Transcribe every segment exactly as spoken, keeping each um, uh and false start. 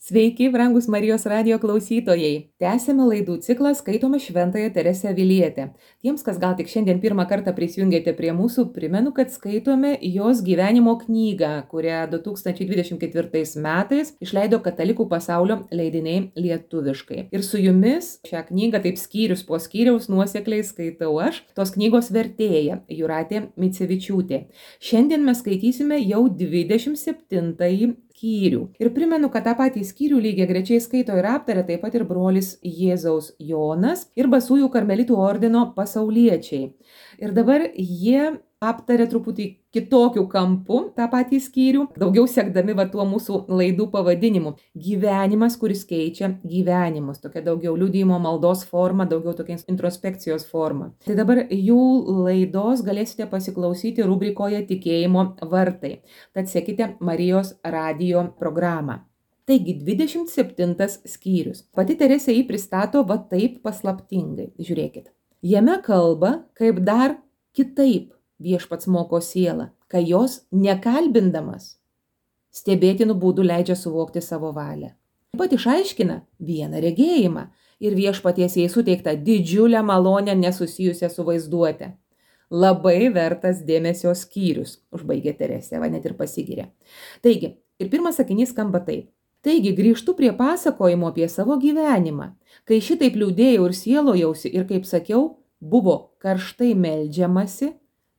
Sveiki, brangus Marijos radijo klausytojai. Tęsėme laidų ciklą Skaitome Šventąją Teresę Avilietę. Tiems, kas gal tik šiandien pirmą kartą prisijungėte prie mūsų, primenu, kad skaitome jos gyvenimo knygą, kurią du tūkstančiai dvidešimt ketvirtais metais išleido Katalikų pasaulio leidiniai lietuviškai. Ir su jumis šią knygą taip skyrius po skyriaus nuosekliai skaitau aš, tos knygos vertėja Jūratė Micevičiūtė. Šiandien mes skaitysime jau dvidešimt septintąjį skyrių. Ir primenu, kad tą patį skyrių lygiai grečiai skaito ir aptarė taip pat ir brolis Jėzaus Jonas ir Basųjų karmelitų ordino pasauliečiai. Ir dabar jie aptarė truputį kitokių kampų tą patį skyrių, daugiau sekdami va tuo mūsų laidų pavadinimu. Gyvenimas, kuris keičia gyvenimus. Tokia daugiau liudijimo maldos forma, daugiau tokia introspekcijos forma. Tai dabar jų laidos galėsite pasiklausyti rubrikoje Tikėjimo vartai. Tad sekite Marijos radijo programą. Taigi, dvidešimt septintas skyrius. Pati Teresė jį pristato va taip paslaptingai. Žiūrėkit. Jame kalba, kaip dar kitaip viešpats moko sielą, kai jos nekalbindamas stebėtinų būdų leidžia suvokti savo valią. Taip pat išaiškina vieną regėjimą ir viešpaties jai suteiktą didžiulę malonę nesusijusią su vaizduote. Labai vertas dėmesio skyrius, užbaigė Teresė, va net ir pasigyrė. Taigi, ir pirmas sakinys skamba taip. Taigi, grįžtu prie pasakojimo apie savo gyvenimą, kai šitaip liūdėjau ir sielojausi ir, kaip sakiau, buvo karštai meldžiamasi,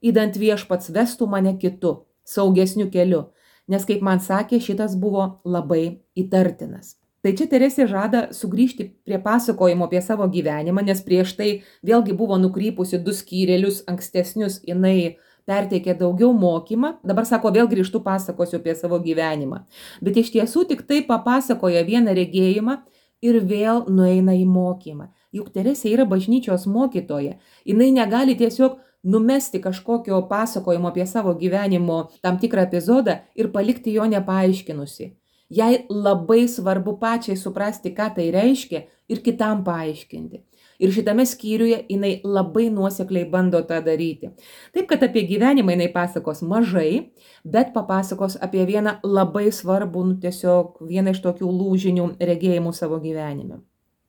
įdant viešpats vestų mane kitu, saugesniu keliu, nes, kaip man sakė, šitas buvo labai įtartinas. Tai čia Teresė žada sugrįžti prie pasakojimo apie savo gyvenimą, nes prieš tai vėlgi buvo nukrypusi du skyrelius ankstesnius, jinai perteikė daugiau mokymą, dabar sako, vėl grįžtu pasakosiu apie savo gyvenimą. Bet iš tiesų tik tai papasakoja vieną regėjimą ir vėl nueina į mokymą. Juk Teresė yra bažnyčios mokytoja, jinai negali tiesiog numesti kažkokio pasakojimo apie savo gyvenimo tam tikrą epizodą ir palikti jo nepaaiškinusi. Jai labai svarbu pačiai suprasti, ką tai reiškia ir kitam paaiškinti. Ir šitame skyriuje jinai labai nuosekliai bando tą daryti. Taip, kad apie gyvenimą jinai pasakos mažai, bet papasakos apie vieną labai svarbų, nu, tiesiog vieną iš tokių lūžinių regėjimų savo gyvenime.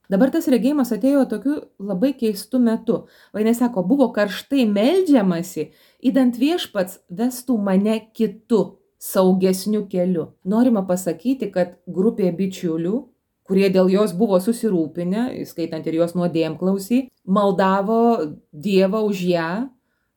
Dabar tas regėjimas atėjo tokiu labai keistu metu. Va, jinai sako, buvo karštai meldžiamasi, įdant viešpats vestų mane kitu, saugesniu keliu. Norima pasakyti, kad grupė bičiulių, kurie dėl jos buvo susirūpinę, skaitant ir jos nuodėmklausį, maldavo Dievą už ją,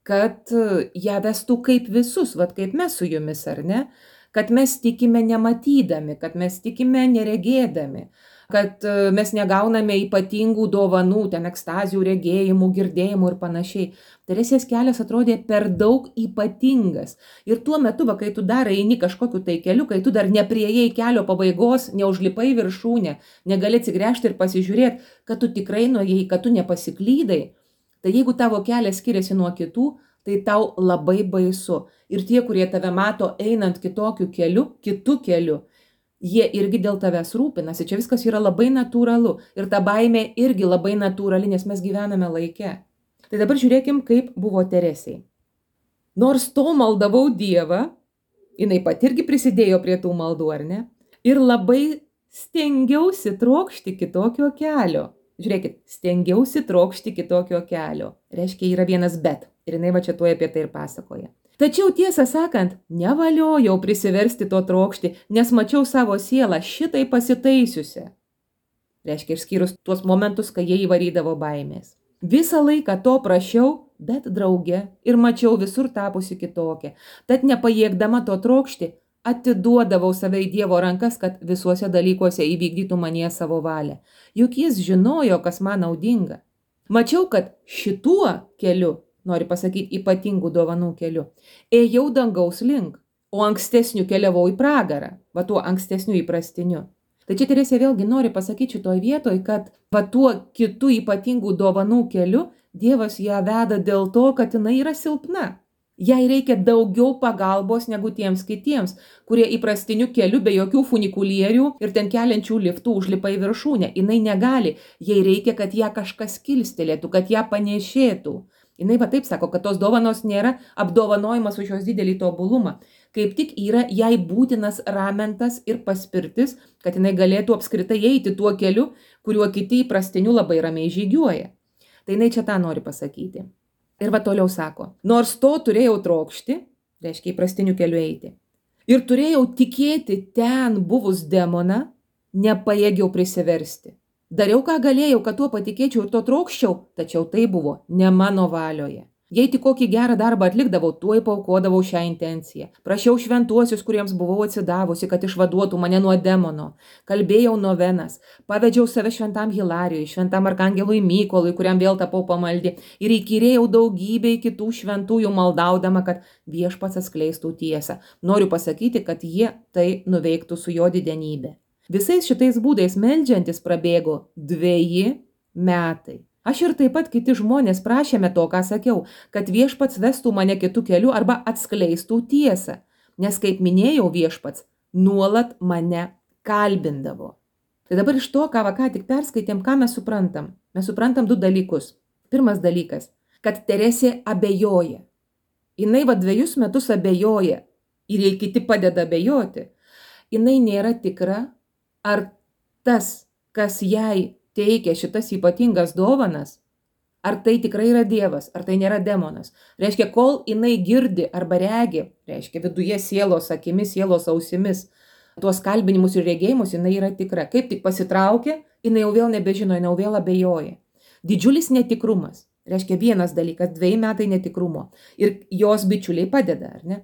kad ją vestų kaip visus, vat kaip mes su jumis, ar ne? Kad mes tikime nematydami, kad mes tikime neregėdami, kad mes negauname ypatingų dovanų, ten ekstazių, regėjimų, girdėjimų ir panašiai. Teresės kelias atrodė per daug ypatingas. Ir tuo metu, va, kai tu dar eini kažkokiu tai keliu, kai tu dar nepriejai kelio pabaigos, neužlipai viršūnę, negali atsigręžti ir pasižiūrėti, kad tu tikrai nuėjai, kad tu nepasiklydai, tai jeigu tavo kelias skiriasi nuo kitų, tai tau labai baisu. Ir tie, kurie tave mato einant kitokiu keliu, kitu keliu, jie irgi dėl tavęs rūpinasi. Čia viskas yra labai natūralu. Ir ta baimė irgi labai natūrali, nes mes gyvename laike. Tai dabar žiūrėkim, kaip buvo Teresei. Nors to maldavau Dievą, jinai pat irgi prisidėjo prie tų maldų, ar ne? Ir labai stengiausi trokšti kitokio kelio. Žiūrėkit, stengiausi trokšti kitokio kelio. Reiškia, yra vienas bet. Ir jinai va čia tuoj apie tai ir pasakoja. Tačiau tiesą sakant, nevaliojau prisiversti to trokšti, nes mačiau savo sielą šitai pasitaisiusią. Reiškia, išskyrus tuos momentus, kai jie įvarydavo baimės. Visą laiką to prašiau, bet drauge, ir mačiau visur tapusi kitokia. Tad nepajėgdama to trokšti, atiduodavau save į Dievo rankas, kad visuose dalykuose įvykdytų manyje savo valią. Juk jis žinojo, kas man naudinga. Mačiau, kad šituo keliu, nori pasakyti ypatingų dovanų keliu, ėjau dangaus link, o ankstesniu keliavau į pragarą, va tuo ankstesniu įprastiniu. Tai čia Teresė vėlgi nori pasakyti šitoj vietoj, kad va tuo kitų ypatingų dovanų keliu Dievas ją veda dėl to, kad jinai yra silpna. Jai reikia daugiau pagalbos negu tiems kitiems, kurie įprastiniu keliu be jokių funikulierių ir ten keliančių liftų užlipa į viršūnę. Jinai negali, jai reikia, kad ją kažkas kilstelėtų, kad ją panešėtų. Jinai va taip sako, kad tos dovanos nėra apdovanojimas už jos didelį tobulumą. kaip tik yra jai būtinas ramentas ir paspirtis, kad jinai galėtų apskritai eiti tuo keliu, kuriuo kiti įprastiniu labai ramiai žygiuoja. Tai jinai čia tą nori pasakyti. Ir va toliau sako, nors to turėjau trokšti, reiškia įprastiniu keliu eiti, ir turėjau tikėti ten buvus demoną, nepajėgiau prisiversti. Dariau, ką galėjau, kad tuo patikėčiau ir to trokščiau, tačiau tai buvo ne mano valioje. Jei tik kokį gerą darbą atlikdavau, tuoj paukodavau šią intenciją. Prašiau šventuosius, kuriems buvau atsidavusi, kad išvaduotų mane nuo demono. Kalbėjau novenas, pavedžiau save šventam Hilarijui, šventam arkangelui Mykolui, kuriam vėl tapau pamaldi, ir įkyrėjau daugybei kitų šventųjų maldaudama, kad viešpats atskleistų tiesą. Noriu pasakyti, kad jie tai nuveiktų su jo didenybė. Visais šitais būdais meldžiantis prabėgo dveji metai. Aš ir taip pat kiti žmonės prašėme to, ką sakiau, kad viešpats vestų mane kitų kelių arba atskleistų tiesą, nes, kaip minėjau, viešpats nuolat mane kalbindavo. Tai dabar iš to, ką va ką tik perskaitėm, ką mes suprantam? Mes suprantam du dalykus. Pirmas dalykas, kad Teresė abejoja. Jinai va dviejus metus abejoja ir jei kiti padeda abejoti, jinai nėra tikra, ar tas, kas jai teikia šitas ypatingas dovanas, ar tai tikrai yra Dievas, ar tai nėra demonas. Reiškia, kol jinai girdi arba regi, reiškia viduje sielos akimis, sielos ausimis, tuos kalbinimus ir regėjimus, jinai yra tikra. Kaip tik pasitraukia, jinai jau vėl nebežino, jinai jau vėl abejoja. Didžiulis netikrumas. Reiškia, vienas dalykas, dviejai metai netikrumo. Ir jos bičiuliai padeda, ar ne?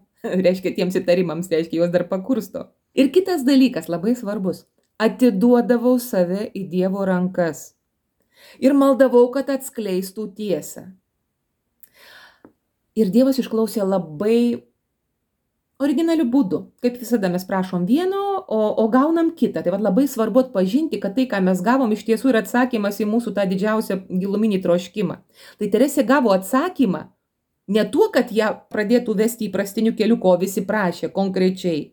Reiškia, tiems įtarimams, reiškia, jos dar pakursto. Ir kitas dalykas, labai svarbus. Atiduodavau save į Dievo rankas ir maldavau, kad atskleistų tiesą. Ir Dievas išklausė labai originaliu būdu. Kaip visada mes prašom vieno, o, o gaunam kitą. Tai vad labai svarbu atpažinti, kad tai, ką mes gavom, iš tiesų yra atsakymas į mūsų tą didžiausią giluminį troškimą. Tai Teresė gavo atsakymą ne tuo, kad ją pradėtų vesti įprastiniu keliu, ko visi prašė konkrečiai.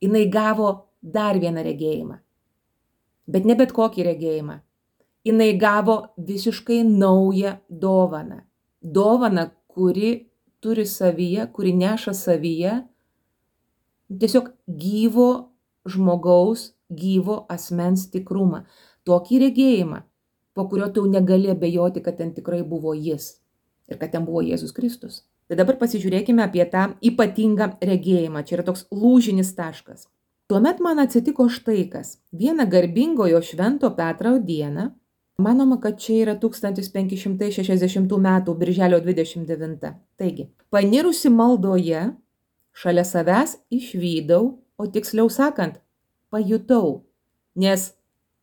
Jinai gavo dar vieną regėjimą. Bet ne bet kokį regėjimą. Jinai gavo visiškai naują dovaną. Dovaną, kuri turi savyje, kuri neša savyje tiesiog gyvo žmogaus, gyvo asmens tikrumą. Tokį regėjimą, po kurio tu negali abejoti, kad ten tikrai buvo jis ir kad ten buvo Jėzus Kristus. Tai dabar pasižiūrėkime apie tą ypatingą regėjimą. Čia yra toks lūžinis taškas. Tuomet man atsitiko štai kas. Vieną garbingojo švento Petro dieną, manoma, kad čia yra tūkstantis penki šimtai šešiasdešimtų metų birželio dvidešimt devinta. Taigi, panirusi maldoje, šalia savęs išvydau, o tiksliau sakant, pajutau, nes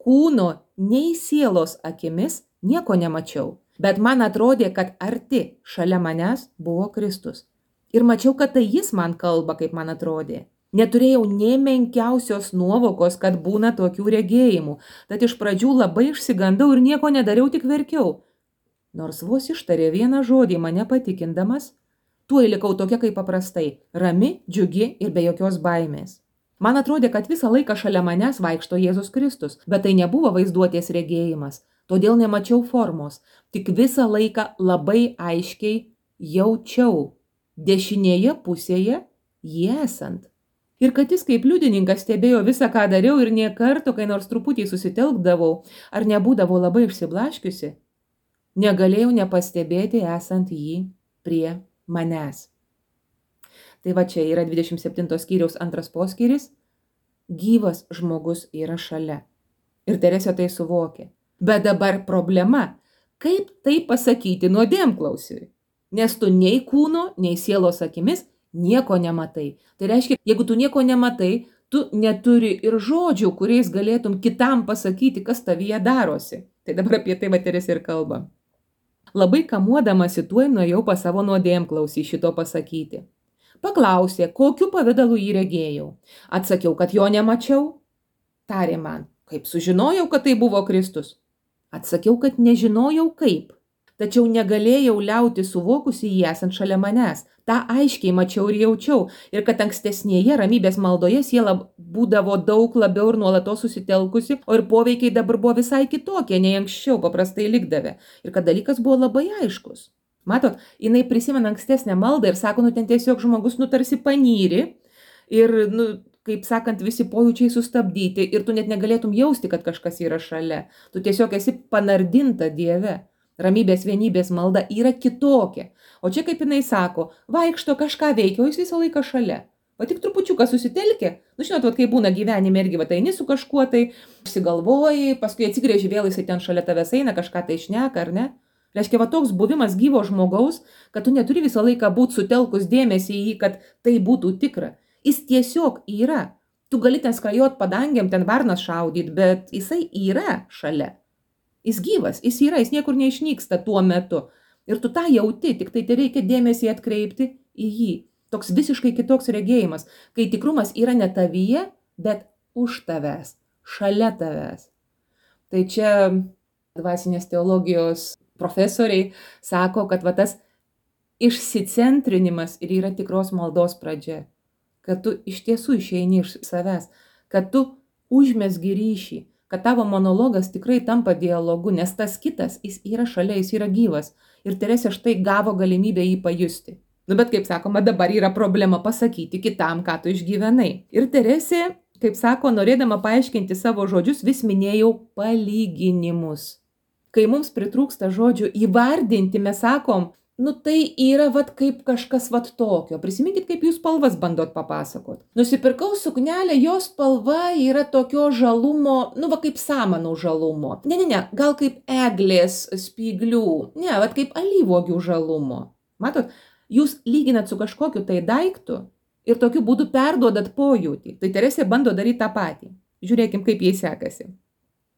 kūno nei sielos akimis nieko nemačiau, bet man atrodė, kad arti šalia manęs buvo Kristus. Ir mačiau, kad tai jis man kalba, kaip man atrodė. Neturėjau nė menkiausios nuovokos, kad būna tokių regėjimų, tad iš pradžių labai išsigandau ir nieko nedariau, tik verkiau. Nors vos ištarė vieną žodį mane patikindamas, tuoj likau tokia kaip paprastai, rami, džiugi ir be jokios baimės. Man atrodė, kad visą laiką šalia manęs vaikšto Jėzus Kristus, bet tai nebuvo vaizduotės regėjimas, todėl nemačiau formos, tik visą laiką labai aiškiai jaučiau dešinėje pusėje jį esant. Ir kad jis kaip liudininkas stebėjo visą, ką dariau ir nė karto, kai nors truputį susitelkdavau, ar nebūdavau labai išsiblaškiusi, negalėjau nepastebėti esant jį prie manęs. Tai va čia yra dvidešimt septinto skyriaus antras poskyris. Gyvas žmogus yra šalia. Ir Teresė tai suvokė. Bet dabar problema, kaip tai pasakyti nuodėmklausiui? Nes tu nei kūno, nei sielos akimis nieko nematai. Tai reiškia, jeigu tu nieko nematai, tu neturi ir žodžių, kuriais galėtum kitam pasakyti, kas tavyje darosi. Tai dabar apie tai va Teresė ir kalba. Labai kamuodamasi tuoj nuėjau pas savo nuodėmklausį šito pasakyti. Paklausė, kokiu pavidalu jį regėjau. Atsakiau, kad jo nemačiau. Tarė man, kaip sužinojau, kad tai buvo Kristus. Atsakiau, kad nežinojau kaip. Tačiau negalėjau liauti suvokusi jį esant šalia manęs. Ta aiškiai mačiau ir jaučiau. Ir kad ankstesnėje ramybės maldoje siela būdavo daug labiau ir nuolatos susitelkusi, o ir poveikiai dabar buvo visai kitokie, nei anksčiau paprastai likdavę. Ir kad dalykas buvo labai aiškus. Matot, jinai prisimena ankstesnę maldą ir sako, nu ten tiesiog žmogus nutarsi panyri, ir, nu, kaip sakant, visi pojūčiai sustabdyti ir tu net negalėtum jausti, kad kažkas yra šalia. Tu tiesiog esi panardinta Dieve. Ramybės vienybės malda yra kitokia. O čia, kaip jinai sako, vaikšto kažką veikia, o jis visą laiką šalia. O tik trupučiuką susitelkė, nu žinot, vat, kai būna gyvenime irgi, vat, eini su kažkuo, tai apsigalvoji, paskui atsigrėži vėl, jisai ten šalia tavęs eina, kažką tai šneka, ar ne? Reiškia, va toks buvimas gyvo žmogaus, kad tu neturi visą laiką būti sutelkus dėmesį į jį, kad tai būtų tikra. Jis tiesiog yra. Tu gali ten skrajot padangiam, ten varnas šaudyt, bet jisai yra šalia. Jis gyvas, jis yra, jis niekur neišnyksta tuo metu. Ir tu tą jauti, tik tai tai reikia dėmesį atkreipti į jį. Toks visiškai kitoks regėjimas, kai tikrumas yra ne tavyje, bet už tavęs, šalia tavęs. Tai čia dvasinės teologijos profesoriai sako, kad va tas išsicentrinimas ir yra tikros maldos pradžia. Kad tu iš tiesų išeini iš savęs, kad tu užmesgi ryšį, kad tavo monologas tikrai tampa dialogu, nes tas kitas, jis yra šalia, jis yra gyvas. Ir Teresė štai gavo galimybę jį pajusti. Nu, bet kaip sakoma, dabar yra problema pasakyti kitam, ką tu išgyvenai. Ir Teresė, kaip sako, norėdama paaiškinti savo žodžius, vis minėjau palyginimus. Kai mums pritrūksta žodžių įvardinti, mes sakom, nu tai yra vat kaip kažkas vat tokio. Prisiminkit, kaip jūs spalvas bandot papasakot. Nusipirkau suknelę, jos spalva yra tokio žalumo, nu va kaip samanų žalumo. Ne, ne, ne, gal kaip eglės spyglių, ne, vat kaip alyvuogių žalumo. Matot? Jūs lyginat su kažkokiu tai daiktu ir tokiu būdu perduodat pojūtį. Tai Teresė bando daryti tą patį. Žiūrėkim, kaip jai sekasi.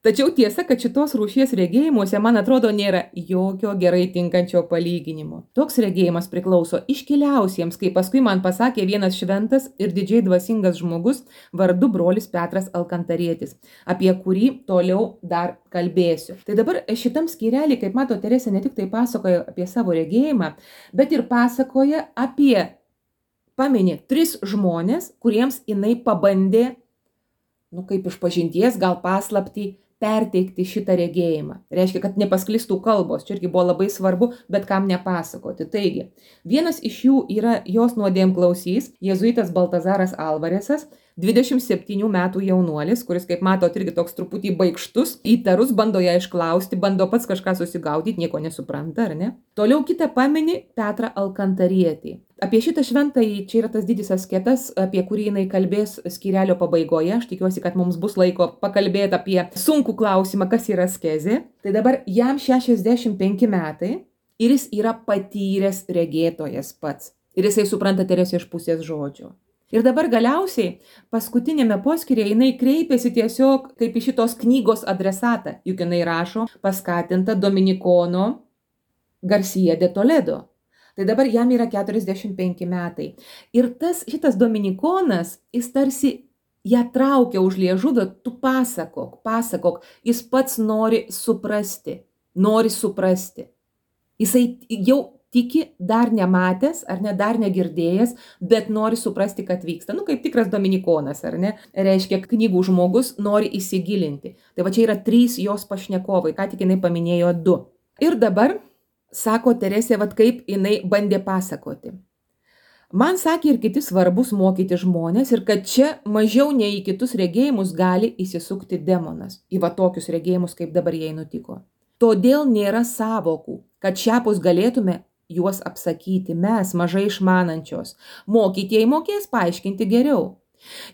Tačiau tiesa, kad šitos rūšies regėjimuose, man atrodo, nėra jokio gerai tinkančio palyginimo. Toks regėjimas priklauso iškiliausiems, kaip paskui man pasakė vienas šventas ir didžiai dvasingas žmogus vardu brolis Petras Alkantarietis, apie kurį toliau dar kalbėsiu. Tai dabar šitam skyrelį, kaip mato, Teresė ne tik tai pasakoja apie savo regėjimą, bet ir pasakoja apie, pamini, tris žmonės, kuriems jinai pabandė, nu kaip iš pažinties, gal paslaptį, perteikti šitą regėjimą. Reiškia, kad nepasklistų kalbos. Čia irgi buvo labai svarbu, bet kam nepasakoti. Taigi, vienas iš jų yra jos nuodėmklausys, jėzuitas Baltazaras Alvaresas, dvidešimt septynių metų jaunuolis, kuris, kaip matot, irgi toks truputį baikštus, įtarus, bando ją išklausti, bando pats kažką susigaudyti, nieko nesupranta, ar ne? Toliau kitą pamini Petrą Alkantarietį. Apie šitą šventąjį, čia yra tas didis asketas, apie kurį jinai kalbės skyrelio pabaigoje. Aš tikiuosi, kad mums bus laiko pakalbėti apie sunkų klausimą, kas yra askezė. Tai dabar jam šešiasdešimt penki metai ir jis yra patyręs regėtojas pats. Ir jisai supranta Teresę iš pusės žodžio. Ir dabar galiausiai paskutinėme poskyryje jinai kreipėsi tiesiog kaip į šitos knygos adresatą, juk jinai rašo paskatinta Dominikono Garcia de Toledo. Tai dabar jam yra keturiasdešimt penki metai. Ir tas, šitas Dominikonas, jis tarsi ją traukia už liežuvio, tu pasakok, pasakok, jis pats nori suprasti, nori suprasti. Jisai jau tiki, dar nematęs, ar ne, dar negirdėjęs, bet nori suprasti, kad vyksta. Nu, kaip tikras Dominikonas, ar ne? Reiškia, knygų žmogus nori įsigilinti. Tai va čia yra trys jos pašnekovai, ką tik jinai paminėjo du. Ir dabar, sako Teresė, vat kaip jinai bandė pasakoti. Man sakė ir kiti svarbus mokyti žmonės ir kad čia mažiau nei į kitus regėjimus gali įsisukti demonas. Į va tokius regėjimus, kaip dabar jai nutiko. Todėl nėra savokų, kad šiapus galėtume juos apsakyti mes, mažai išmanančios. Mokytieji mokės paaiškinti geriau.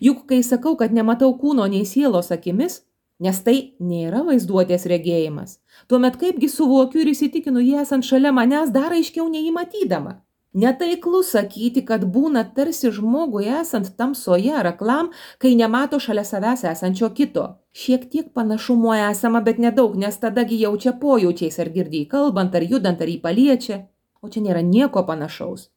Juk kai sakau, kad nematau kūno nei sielos akimis, nes tai nėra vaizduotės regėjimas, tuomet kaipgi suvokiu ir įsitikinu jį esant šalia manęs dar aiškiau nei jį matydama. Netaiklu sakyti, kad būna tarsi žmogui esant tamsoje ar aklam, kai nemato šalia savęs esančio kito. Šiek tiek panašumo esama, bet nedaug, nes tadagi jaučia pojūčiais ar girdį kalbant, ar judant, ar jį paliečia. O čia nėra nieko panašaus.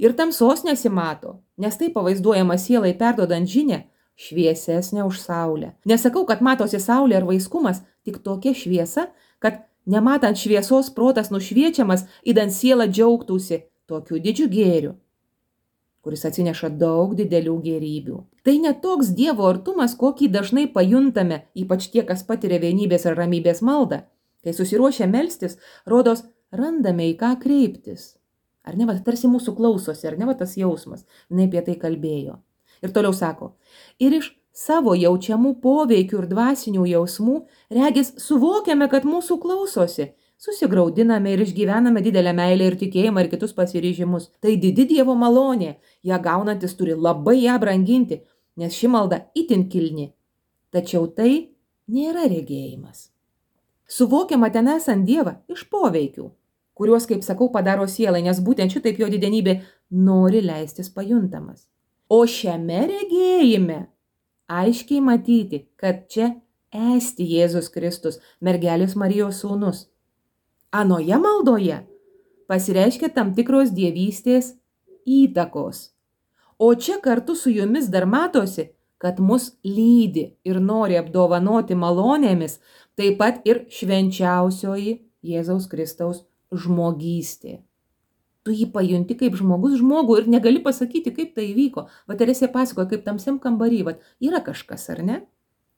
Ir tamsos nesimato, nes tai pavaizduojama sielai perduodant žinią šviesesnė už saulę. Nesakau, kad matosi saulė ar vaiskumas, tik tokia šviesa, kad nematant šviesos protas nušviečiamas, idant siela džiaugtųsi tokiu didžiu gėriu, kuris atsineša daug didelių gėrybių. Tai ne toks Dievo artumas, kokį dažnai pajuntame, ypač tie, kas patiria vienybės ar ramybės maldą. Kai susiruošia melstis, rodos, randame į ką kreiptis. Ar ne, va, tarsi mūsų klausosi, ar ne, va, tas jausmas. Jinai apie tai kalbėjo. Ir toliau sako, ir iš savo jaučiamų poveikių ir dvasinių jausmų, regis suvokiame, kad mūsų klausosi, susigraudiname ir išgyvename didelę meilę ir tikėjimą ir kitus pasiryžimus. Tai didi Dievo malonė, ją gaunantis turi labai ją branginti, nes ši malda itin kilni. Tačiau tai nėra regėjimas. Suvokiama ten esant Dievą iš poveikių, kuriuos, kaip sakau, padaro sielai, nes būtent šitaip jo didenybė nori leistis pajuntamas. O šiame regėjime aiškiai matyti, kad čia esti Jėzus Kristus, mergelės Marijos sūnus. Anoje maldoje pasireiškia tam tikros dievystės įtakos. O čia kartu su jumis dar matosi, kad mus lydi ir nori apdovanoti malonėmis, taip pat ir švenčiausioji Jėzaus Kristaus žmogystė. Tu jį pajunti kaip žmogus žmogų ir negali pasakyti, kaip tai įvyko. Va Teresė pasakoja, kaip tamsiam kambarį, va yra kažkas, ar ne?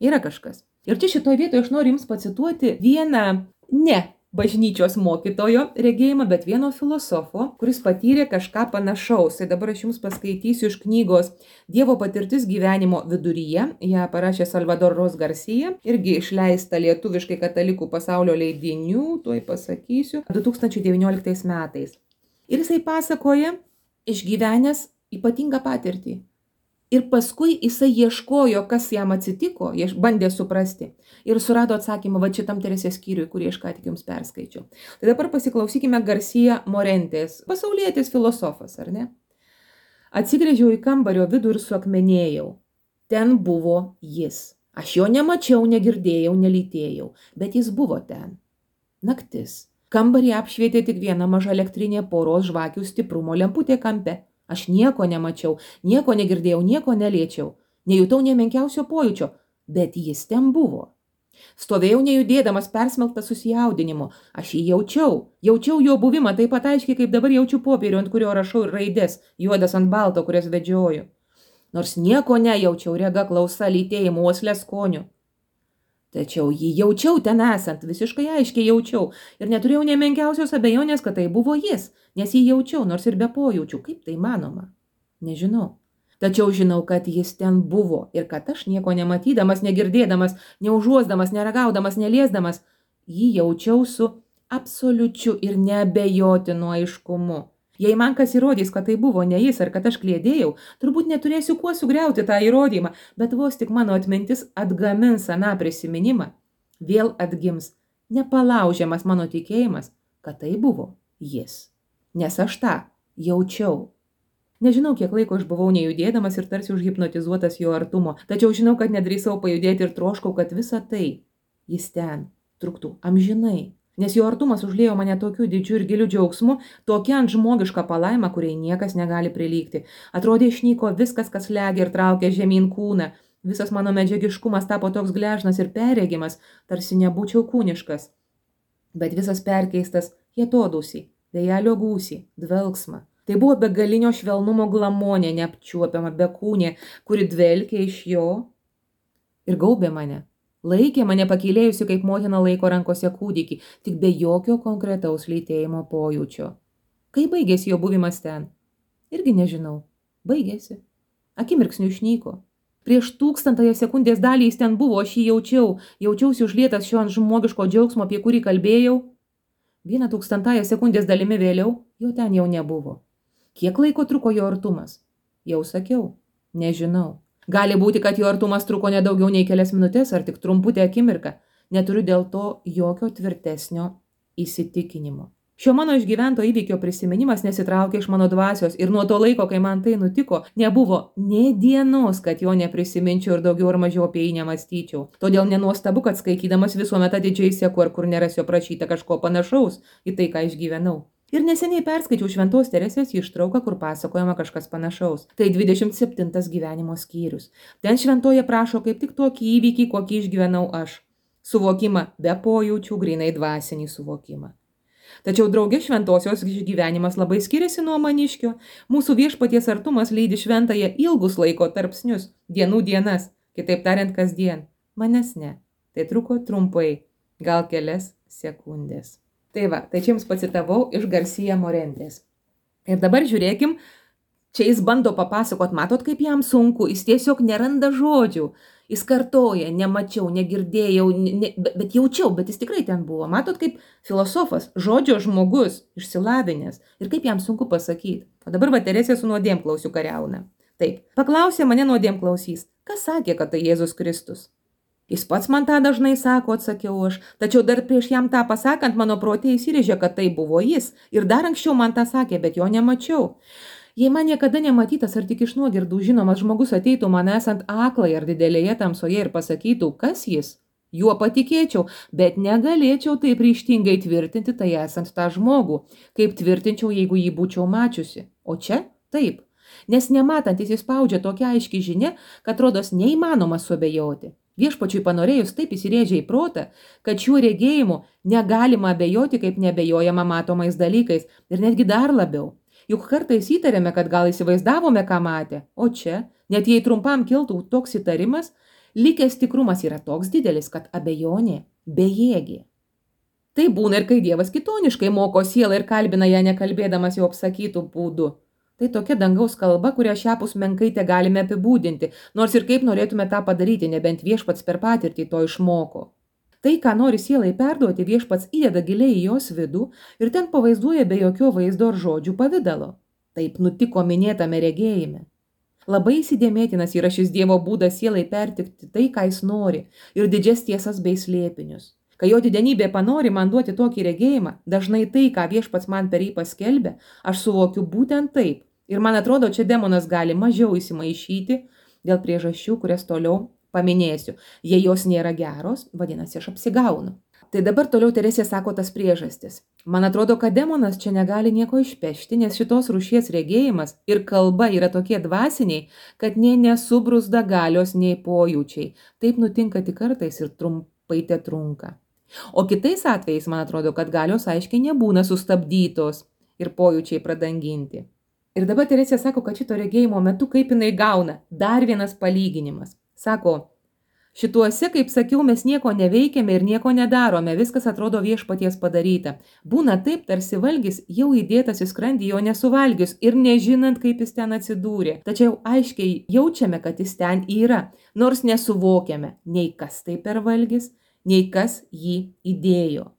Yra kažkas. Ir čia šitoje vietoje aš noriu jums pacituoti vieną ne bažnyčios mokytojo regėjimą, bet vieno filosofo, kuris patyrė kažką panašaus. Tai dabar aš jums paskaitysiu iš knygos Dievo patirtis gyvenimo viduryje. Ją parašė Salvador Ros Garcia, irgi išleista lietuviškai katalikų pasaulio leidinių, tuoj pasakysiu, du tūkstančiai devynioliktais metais. Ir jisai pasakoja, išgyvenęs ypatingą patirtį. Ir paskui jisai ieškojo, kas jam atsitiko, bandė suprasti. Ir surado atsakymą va šitam Teresės skyriui, kurį aš ką tik jums perskaičiau. Tai dabar pasiklausykime Garcia Morentės, pasaulietis filosofas, ar ne? Atsigręžiau į kambario vidų ir suakmenėjau. Ten buvo jis. Aš jo nemačiau, negirdėjau, nelytėjau, bet jis buvo ten. Naktis. Kambarį apšvietė tik viena maža elektrinė poros žvakių stiprumo lemputė kampe. Aš nieko nemačiau, nieko negirdėjau, nieko neliečiau. Nejutau nė menkiausio pojūčio, bet jis ten buvo. Stovėjau nejudėdamas, persmelktas susijaudinimu. Aš jį jaučiau. Jaučiau jo buvimą taip pat aiškiai, kaip dabar jaučiu popierių, ant kurio rašau raidės, juodas ant balto, kurias vedžioju. Nors nieko nejaučiau, rega, klausa, lytėjimu, uoslė, skoniu. Tačiau jį jaučiau ten esant, visiškai aiškiai jaučiau ir neturėjau nė menkiausios abejonės, kad tai buvo jis, nes jį jaučiau, nors ir be pojūčių. Kaip tai manoma? Nežinau. Tačiau žinau, kad jis ten buvo ir kad aš nieko nematydamas, negirdėdamas, neužuosdamas, neragaudamas, neliesdamas, jį jaučiau su absoliučiu ir neabejotinu aiškumu. Jei man kas įrodys, kad tai buvo ne jis ar kad aš kliedėjau, turbūt neturėsiu kuo sugriauti tą įrodymą, bet vos tik mano atmintis atgamins aną prisiminimą, vėl atgims nepalaužiamas mano tikėjimas, kad tai buvo jis. Nes aš tą jaučiau. Nežinau, kiek laiko aš buvau nejudėdamas ir tarsi užhipnotizuotas jo artumo, tačiau žinau, kad nedrįsau pajudėti ir troškau, kad visa tai, jis ten, truktų amžinai. Nes jo artumas užliejo mane tokiu didžiu ir giliu džiaugsmu, tokia ant žmogiška palaima, kuriai niekas negali prilygti. Atrodė išnyko viskas, kas legia ir traukia žemyn kūną. Visas mano medžiagiškumas tapo toks gležnas ir perregimas, tarsi nebūčiau kūniškas. Bet visas perkeistas į atodūsį, vėjelio gūsį, dvelksmą. Tai buvo begalinio švelnumo glamonė, neapčiuopiama bekūnė, kuri dvelkė iš jo ir gaubė mane. Laikė mane pakylėjusi, kaip motina laiko rankose kūdikį, tik be jokio konkretaus lytėjimo pojūčio. Kai baigėsi jo buvimas ten? Irgi nežinau. Baigėsi. Akimirksniu išnyko. Prieš tūkstantąją sekundės dalį jis ten buvo, aš jį jaučiau. Jaučiausi užlietas šio ant žmogiško džiaugsmo, apie kurį kalbėjau. Vieną tūkstantąją sekundės dalimi vėliau, jo ten jau nebuvo. Kiek laiko truko jo artumas? Jau sakiau. Nežinau. Gali būti, kad jo artumas truko nedaugiau nei kelias minutės ar tik trumputę akimirką. Neturiu dėl to jokio tvirtesnio įsitikinimo. Šio mano išgyvento įvykio prisiminimas nesitraukė iš mano dvasios ir nuo to laiko, kai man tai nutiko, nebuvo nė dienos, kad jo neprisiminčiau ir daugiau ar mažiau apie jį nemąstyčiau. Todėl nenuostabu, kad skaitydamas visuomet atidžiai seku, ar kur nerasiu aprašyta kažko panašaus į tai, ką išgyvenau. Ir neseniai perskaičiau Šventos Teresės ištrauką, kur pasakojama kažkas panašaus. Tai dvidešimt septintas gyvenimo skyrius. Ten šventoje prašo kaip tik tokį įvykį, kokį išgyvenau aš. Suvokimą be pojūčių, grinai dvasinį suvokimą. Tačiau draugė šventosios išgyvenimas labai skiriasi nuo maniškio. Mūsų viešpaties artumas lydi šventąją ilgus laiko tarpsnius, dienų dienas, kitaip tariant kasdien. Manęs ne. Tai truko trumpai, gal kelias sekundės. Tai va, tai čia jums pacitavau iš Garcia Morentės. Ir dabar žiūrėkim, Čia jis bando papasakot, matot, kaip jam sunku, jis tiesiog neranda žodžių. Jis kartoja, nemačiau, negirdėjau, ne, bet jaučiau, bet jis tikrai ten buvo. Matot, kaip filosofas, žodžio žmogus, išsilavinęs ir kaip jam sunku pasakyti. O dabar va Teresė su nuodėmklausiu kariauna. Taip, paklausė mane nuodėmklausys, kas sakė, kad tai Jėzus Kristus? Jis pats man tą dažnai sako, atsakiau aš, tačiau dar prieš jam tą pasakant, mano protė įsirėžė, kad tai buvo jis. Ir dar anksčiau man tą sakė, bet jo nemačiau. Jei man niekada nematytas ar tik iš nuogirdų žinomas žmogus ateitų man esant aklai ar didelėje tamsoje ir pasakytų, kas jis, juo patikėčiau, bet negalėčiau taip ryžtingai tvirtinti tai esant tą žmogų, kaip tvirtinčiau, jeigu jį būčiau mačiusi. O čia taip, nes nematantis įspaudžia tokia aiški žinia, kad rodos neįmanoma suabejoti. Viešpačiui panorėjus taip įsirėžė į protą, kad šiuo regėjimu negalima abejoti, kaip neabejojama matomais dalykais ir netgi dar labiau. Juk kartais įtarėme, kad gal įsivaizdavome, ką matė, o čia, net jei trumpam kiltų toks įtarimas, likęs tikrumas yra toks didelis, kad abejonė bejėgė. Tai būna ir kai Dievas kitoniškai moko sielą ir kalbina ją nekalbėdamas jau apsakytų būdų. Tai tokia dangaus kalba, kurią šiapus menkai te galime apibūdinti, nors ir kaip norėtume tą padaryti, nebent viešpats per patirtį to išmoko. Tai, ką nori sielai perduoti, viešpats įdeda giliai į jos vidų ir ten pavaizduoja be jokio vaizdo ar žodžių pavidalo. Taip nutiko minėtame regėjime. Labai įsidėmėtinas yra šis Dievo būdas sielai pertikti tai, ką jis nori, ir didžias tiesas bei slėpinius. Kai jo didenybė panori man duoti tokį regėjimą, dažnai tai, ką viešpats man per jį paskelbė, aš suvokiu būtent taip. Ir man atrodo, čia demonas gali mažiau įsimaišyti dėl priežasčių, kurias toliau paminėsiu. Jei jos nėra geros, vadinasi, aš apsigaunu. Tai dabar toliau Teresė sako tas priežastis. Man atrodo, kad demonas čia negali nieko išpešti, nes šitos rūšies regėjimas ir kalba yra tokie dvasiniai, kad nei nesubruzda galios, nei pojūčiai. Taip nutinka tik kartais ir trumpai te trunka. O kitais atvejais, man atrodo, kad galios aiškiai nebūna sustabdytos ir pojūčiai pradanginti. Ir dabar Teresė sako, kad šito regėjimo metu kaip jinai gauna dar vienas palyginimas. Sako, šituose, kaip sakiau, mes nieko neveikiame ir nieko nedarome, viskas atrodo viešpaties padaryta. Būna taip, tarsi valgis jau įdėtas į skrandį, jo nesuvalgius ir nežinant, kaip jis ten atsidūrė. Tačiau aiškiai jaučiame, kad jis ten yra, nors nesuvokiame nei kas tai per valgis, nei kas jį įdėjo.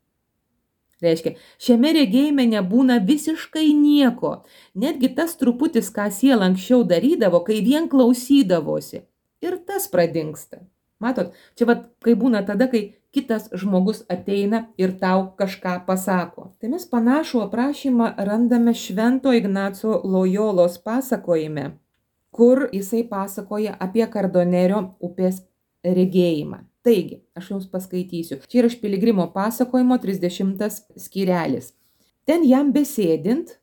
Reiškia, šiame regėjime nebūna visiškai nieko, netgi tas truputis, ką siela anksčiau darydavo, kai vien klausydavosi. Ir tas pradingsta. Matot, čia vat, kai būna tada, kai kitas žmogus ateina ir tau kažką pasako. Tai mes panašų aprašymą randame Švento Ignaco Lojolos pasakojime, kur jisai pasakoja apie Kardonerio upės regėjimą. Taigi, aš jums paskaitysiu. Čia yra iš Piligrimo pasakojimo trisdešimtas skyrelis. Ten jam besėdint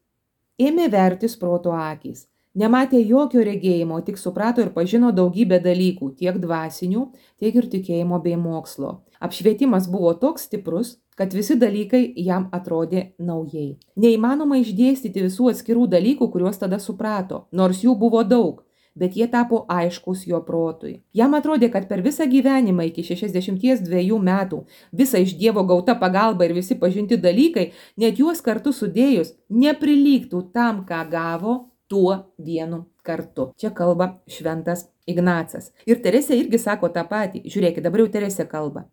ėmė vertis proto akys. Nematė jokio regėjimo, tik suprato ir pažino daugybę dalykų, tiek dvasinių, tiek ir tikėjimo bei mokslo. Apšvietimas buvo toks stiprus, kad visi dalykai jam atrodė naujai. Neįmanoma išdėstyti visų atskirų dalykų, kuriuos tada suprato, nors jų buvo daug, bet jie tapo aiškus jo protui. Jam atrodė, kad per visą gyvenimą iki šešiasdešimties dviejų metų visa iš Dievo gauta pagalba ir visi pažinti dalykai, net juos kartu sudėjus, neprilygtų tam, ką gavo tuo vienu kartu. Čia kalba Šventas Ignacas. Ir Teresė irgi sako tą patį. Žiūrėkit, dabar jau Teresė kalba.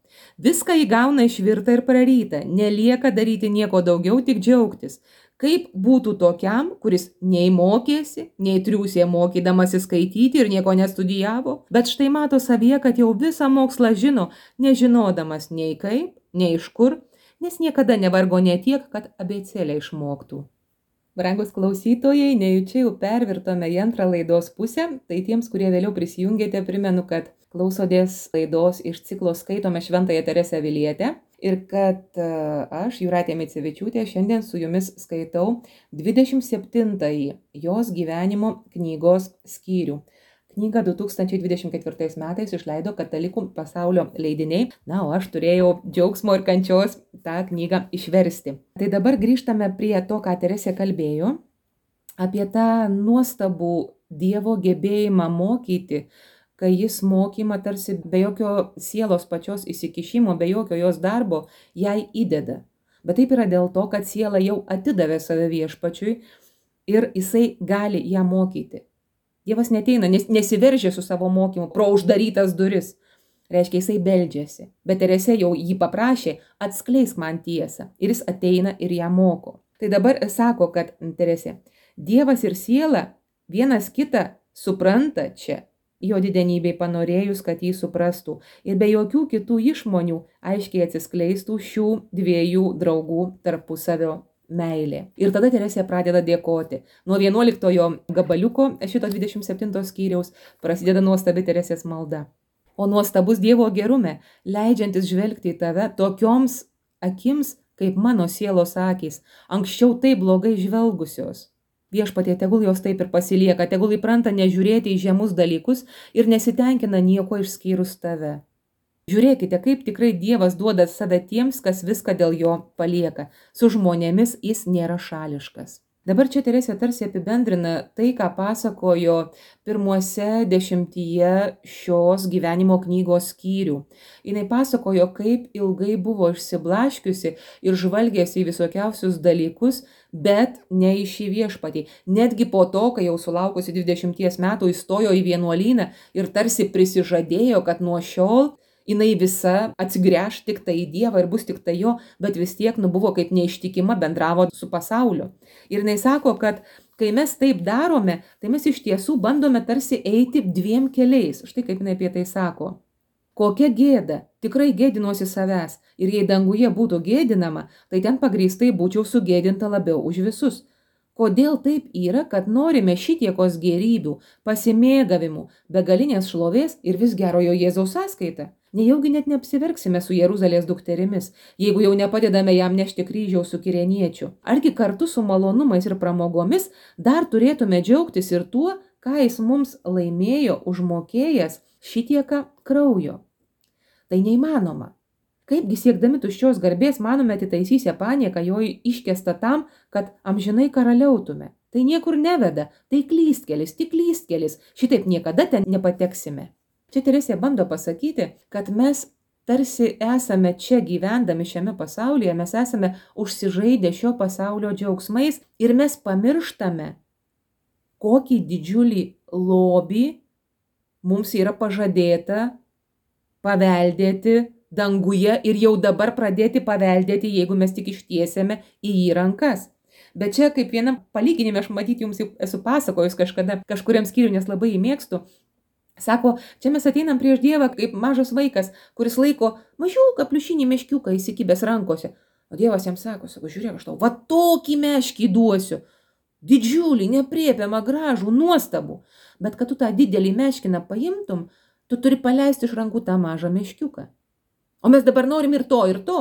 Viską įgauna išvirta ir praryta. Nelieka daryti nieko daugiau, tik džiaugtis. Kaip būtų tokiam, kuris nei mokėsi, nei triūsė mokydamasi skaityti ir nieko nestudijavo, bet štai mato savyje, kad jau visą mokslą žino, nežinodamas nei kaip, nei iš kur, nes niekada nevargo ne tiek, kad abėcėlę išmoktų. Brangus klausytojai, nejučia jau pervirtome į antrą laidos pusę, tai tiems, kurie vėliau prisijungėte, primenu, kad klausotės laidos iš ciklo Skaitome Šventąją Teresę Avilietę ir kad aš, Jūratė Micevičiūtė, šiandien su jumis skaitau dvidešimt septintąjį jos gyvenimo knygos skyrių. Knygą du tūkstančiai dvidešimt ketvirtais metais išleido Katalikų pasaulio leidiniai, na, o aš turėjau džiaugsmo ir kančios tą knygą išversti. Tai dabar grįžtame prie to, ką Teresė kalbėjo, apie tą nuostabų Dievo gebėjimą mokyti, kai jis mokymą tarsi be jokio sielos pačios įsikišimo, be jokio jos darbo jai įdeda. Bet taip yra dėl to, kad siela jau atidavė save viešpačiui ir jisai gali ją mokyti. Dievas neteina, nes, nesiveržia su savo mokymu pro uždarytas duris. Reiškia, jisai beldžiasi. Bet Teresė jau jį paprašė, atskleisk man tiesą. Ir jis ateina ir ją moko. Tai dabar sako, kad Teresė, Dievas ir siela vienas kitą supranta čia, jo didenybei panorėjus, kad jį suprastų. Ir be jokių kitų išmonių aiškiai atsiskleistų šių dviejų draugų tarpusavio meilė. Ir tada Teresė pradeda dėkoti. Nuo vienuoliktojo gabaliuko šito dvidešimt septinto skyriaus prasideda nuostabi Teresės malda. O nuostabus Dievo gerume, leidžiantis žvelgti į tave tokioms akims, kaip mano sielos akys, anksčiau taip blogai žvelgusios. Viešpatie, tegul jos taip ir pasilieka, tegul įpranta nežiūrėti į žemus dalykus ir nesitenkina nieko išskyrus tave. Žiūrėkite, kaip tikrai Dievas duoda save tiems, kas viską dėl jo palieka. Su žmonėmis jis nėra šališkas. Dabar čia Teresė tarsi apibendrina tai, ką pasakojo pirmuose dešimtyje šios gyvenimo knygos skyrių. Jinai pasakojo, kaip ilgai buvo išsiblaškiusi ir žvalgėsi į visokiausius dalykus, bet ne į šį viešpatį. Netgi po to, kai jau sulaukusi dvidešimties metų įstojo į vienuolyną ir tarsi prisižadėjo, kad nuo šiol jinai visa atsigręš tik tai į Dievą ir bus tik tai jo, bet vis tiek nu buvo kaip neištikima, bendravo su pasauliu. Ir jinai sako, kad kai mes taip darome, tai mes iš tiesų bandome tarsi eiti dviem keliais. Štai kaip jinai apie tai sako. Kokia gėda, tikrai gėdinuosi savęs. Ir jei danguje būtų gėdinama, tai ten pagrįstai būčiau sugėdinta labiau už visus. Kodėl taip yra, kad norime šitiekos gėrybių, pasimėgavimų, begalinės šlovės ir vis gerojo Jėzaus sąskaitą? Nejaugi net neapsiverksime su Jeruzalės dukterimis, jeigu jau nepadedame jam nešti kryžiaus su kireniečiu. Argi kartu su malonumais ir pramogomis dar turėtume džiaugtis ir tuo, ką jis mums laimėjo užmokėjęs šitieką kraujo. Tai neįmanoma. Kaipgi siekdami tuščios garbės manome atitaisysę panieką jo iškestą tam, kad amžinai karaliautume. Tai niekur neveda, tai klystkelis, tik klystkelis, šitaip niekada ten nepateksime. Čia Teresė bando pasakyti, kad mes tarsi esame čia gyvendami šiame pasaulyje, mes esame užsižaidę šio pasaulio džiaugsmais ir mes pamirštame, kokį didžiulį lobį mums yra pažadėta paveldėti danguje ir jau dabar pradėti paveldėti, jeigu mes tik ištiesėme į jį rankas. Bet čia kaip vienam palyginime, aš matyti jums jau esu pasakojus kažkada, kažkuriam skyriui, nes labai jį mėgstu. Sako, čia mes ateinam prieš Dievą kaip mažas vaikas, kuris laiko mažiuką pliušinį meškiuką įsikibęs rankose. O Dievas jam sako, sako, žiūrėk, aš tau, va tokį meškį duosiu. Didžiulį, nepriepiamą, gražų, nuostabų. Bet kad tu tą didelį meškiną paimtum, tu turi paleisti iš rankų tą mažą meškiuką. O mes dabar norim ir to, ir to,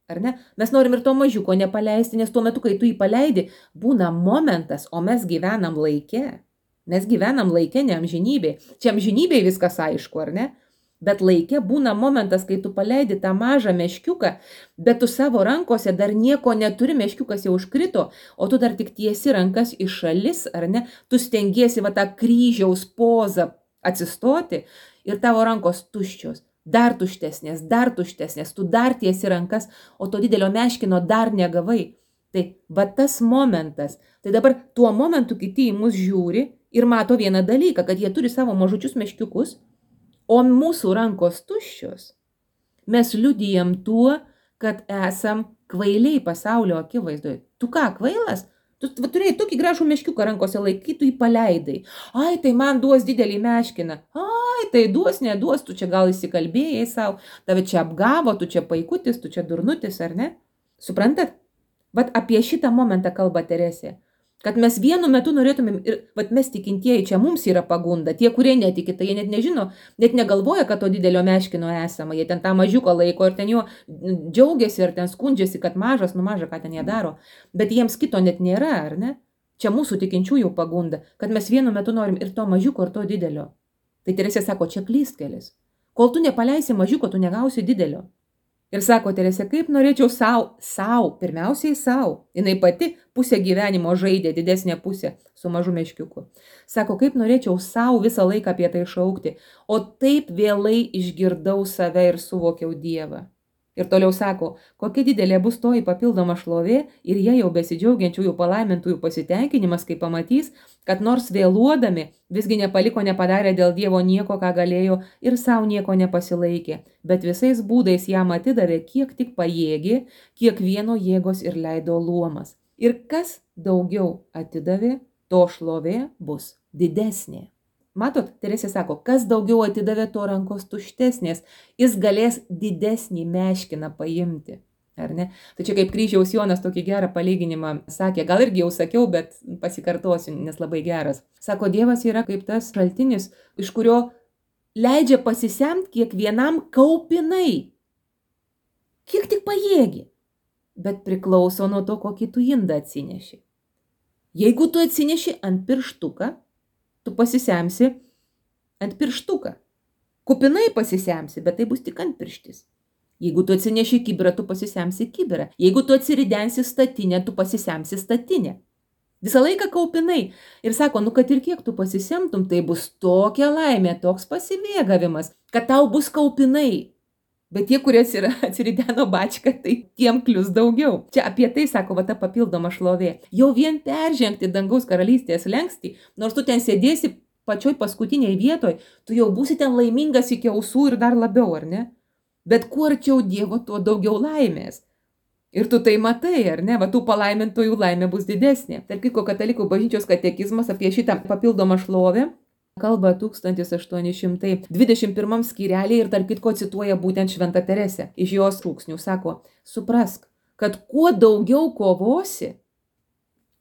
ar ne? Mes norim ir to mažiuko nepaleisti, nes tuo metu, kai tu jį paleidi, būna momentas, o mes gyvenam laike. Mes gyvenam laike, ne amžinybėj. Čia amžinybėj viskas aišku, ar ne? Bet laike būna momentas, kai tu paleidi tą mažą meškiuką, bet tu savo rankose dar nieko neturi, meškiukas jau užkrito, o tu dar tik tiesi rankas į šalis, ar ne? Tu stengiesi va tą kryžiaus pozą atsistoti ir tavo rankos tuščios, dar tuštesnės, dar tuštesnės, tu dar tiesi rankas, o to didelio meškino dar negavai. Tai va tas momentas. Tai dabar tuo momentu kiti į mus žiūri ir mato vieną dalyką, kad jie turi savo mažučius meškiukus, o mūsų rankos tuščios. Mes liudijam tuo, kad esam kvailiai pasaulio akivaizdoje. Tu ką, kvailas? Tu va, turėjai tokį gražų meškiuką rankose laiky, tu jį paleidai. Ai, tai man duos didelį meškiną. Ai, tai duos, neduos, tu čia gal įsikalbėjai savo, tave čia apgavo, tu čia paikutis, tu čia durnutis, ar ne? Suprantat? Vat apie šitą momentą kalba Teresė. Kad mes vienu metu norėtumėm, ir vat mes tikintieji, čia mums yra pagunda, tie, kurie netiki, tai jie net nežino, net negalvoja, kad to didelio meškino esama, jie ten tą mažiuką laiko ir ten jo džiaugiasi ir ten skundžiasi, kad mažas, nu maža, ką ten jie daro, bet jiems kito net nėra, ar ne? Čia mūsų tikinčiųjų pagunda, kad mes vienu metu norim ir to mažiuko, ir to didelio. Tai Teresė sako, čia klystkelis. Kol tu nepaleisi mažiuko, tu negausi didelio. Ir sako Teresė, kaip norėčiau savo, savo, pirmiausiai savo. Jinai pati pusę gyvenimo žaidė, didesnė pusė su mažu meškiuku. Sako, kaip norėčiau savo visą laiką apie tai šaukti, o taip vėlai išgirdau save ir suvokiau Dievą. Ir toliau sako, kokia didelė bus toji papildoma šlovė ir jie jau besidžiaugiančiųjų palaimintųjų pasitenkinimas, kai pamatys, kad nors vėluodami visgi nepaliko nepadarė dėl Dievo nieko, ką galėjo ir savo nieko nepasilaikė, bet visais būdais jam atidavė, kiek tik pajėgė, kiekvieno jėgos ir leido luomas. Ir kas daugiau atidavė, to šlovė bus didesnė. Matot, Teresė sako, kas daugiau atidavė, to rankos tuštesnės, jis galės didesnį meškiną paimti. Ar ne? Tai čia kaip Kryžiaus Jonas tokį gerą palyginimą sakė, gal irgi jau sakiau, bet pasikartosiu, nes labai geras. Sako, Dievas yra kaip tas šaltinis, iš kurio leidžia pasisemti kiekvienam kaupinai. Kiek tik pajėgi, bet priklauso nuo to, kokį tu indą atsineši. Jeigu tu atsineši ant pirštuką, tu pasisemsi ant pirštuką. Kupinai pasisemsi, bet tai bus tik ant pirštis. Jeigu tu atsineši kibirą, tu pasisemsi kibirą. Jeigu tu atsiridensi statinę, tu pasisemsi statinę. Visą laiką kaupinai. Ir sako, nu kad ir kiek tu pasisemtum, tai bus tokia laimė, toks pasimėgavimas, kad tau bus kaupinai. Bet tie, kurie atsirideno bačką, tai tiem klius daugiau. Čia apie tai, sako, va ta papildoma šlovė. Jau vien peržengti dangaus karalystės lenkstį, nors tu ten sėdėsi pačioj paskutiniai vietoj, tu jau būsi ten laimingas iki ausų ir dar labiau, ar ne? Bet kuo arčiau Dievo, tuo daugiau laimės. Ir tu tai matai, ar ne? Va tų palaimintojų laimė bus didesnė. Tarp kitko, katalikų bažnyčios katekizmas apie šitą papildomą šlovę kalba tūkstantis aštuoni šimtai dvidešimt pirmam skyrelį ir tarp kitko cituoja būtent Šventą Teresę. Iš jos šūksnių sako, suprask, kad kuo daugiau kovosi,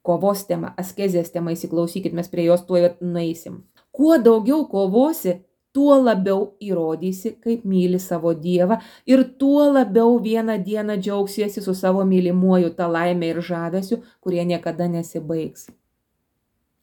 kovos tema, askezės tema, įsiklausykit, mes prie jos tuoj nueisim. Kuo daugiau kovosi, tuo labiau įrodysi, kaip myli savo Dievą ir tuo labiau vieną dieną džiaugsiesi su savo mylimuoju tą laimę ir žavesiu, kurie niekada nesibaigs.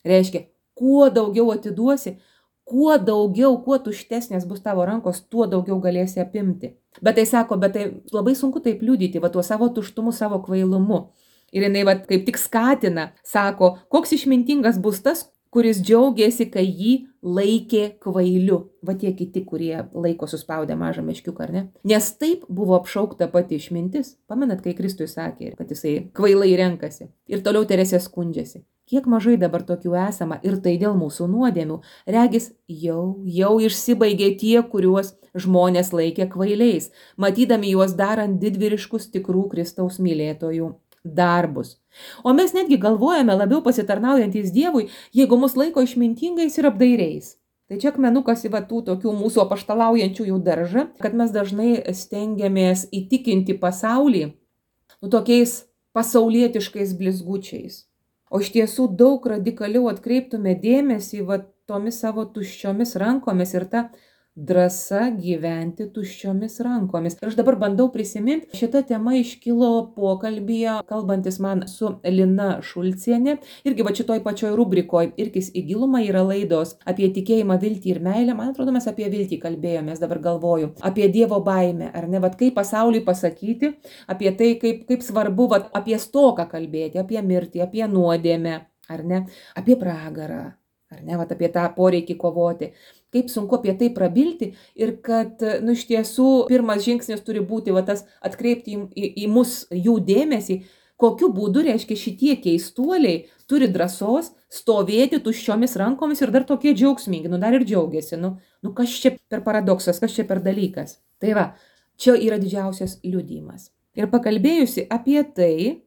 Reiškia, kuo daugiau atiduosi, kuo daugiau, kuo tuštesnės bus tavo rankos, tuo daugiau galėsi apimti. Bet tai sako, bet tai labai sunku taip liudyti, va tuo savo tuštumu, savo kvailumu. Ir jinai va kaip tik skatina, sako, koks išmintingas bus tas, kuris džiaugiasi, kai jį laikė kvailiu. Va tie kiti, kurie laiko suspaudę mažą meškiuką, ar ne? Nes taip buvo apšaukta pati išmintis. Pamenat, kai Kristui sakė, kad jisai kvailai renkasi. Ir toliau Teresė skundžiasi. Kiek mažai dabar tokių esama ir tai dėl mūsų nuodėmių. Regis jau, jau išsibaigė tie, kuriuos žmonės laikė kvailiais, matydami juos darant didvyriškus tikrų Kristaus mylėtojų darbus. O mes netgi galvojame labiau pasitarnaujantys Dievui, jeigu mus laiko išmintingais ir apdairiais. Tai čia akmenukas į va tų tokių mūsų apaštalaujančiųjų daržą, kad mes dažnai stengiamės įtikinti pasaulį nu, tokiais pasaulietiškais blizgučiais. O iš tiesų daug radikaliau atkreiptume dėmesį va tomis savo tuščiomis rankomis ir tą drąsa gyventi tuščiomis rankomis. Ir aš dabar bandau prisiminti, šita tema iškilo pokalbyje, kalbantis man su Lina Šulcienė, irgi va šitoj pačioj rubrikoj, irgi į gilumą yra laidos apie tikėjimą, viltį ir meilę. Man atrodo, mes apie viltį kalbėjomės, dabar galvoju, apie Dievo baimę, ar ne, va kaip pasauliui pasakyti, apie tai, kaip, kaip svarbu, va apie stoką kalbėti, apie mirtį, apie nuodėmę, ar ne, apie pragarą, ar ne, va apie tą poreikį kovoti. Kaip sunku apie tai prabilti ir kad, nu, iš tiesų, pirmas žingsnis turi būti va, tas atkreipti į, į, į mus jų dėmesį, kokiu būdu, reiškia, šitie keistuoliai turi drąsos stovėti tuščiomis rankomis ir dar tokie džiaugsmingi, nu dar ir džiaugiasi, nu, nu kas čia per paradoksas, kas čia per dalykas. Tai va, čia yra didžiausias liudijimas. Ir pakalbėjusi apie tai,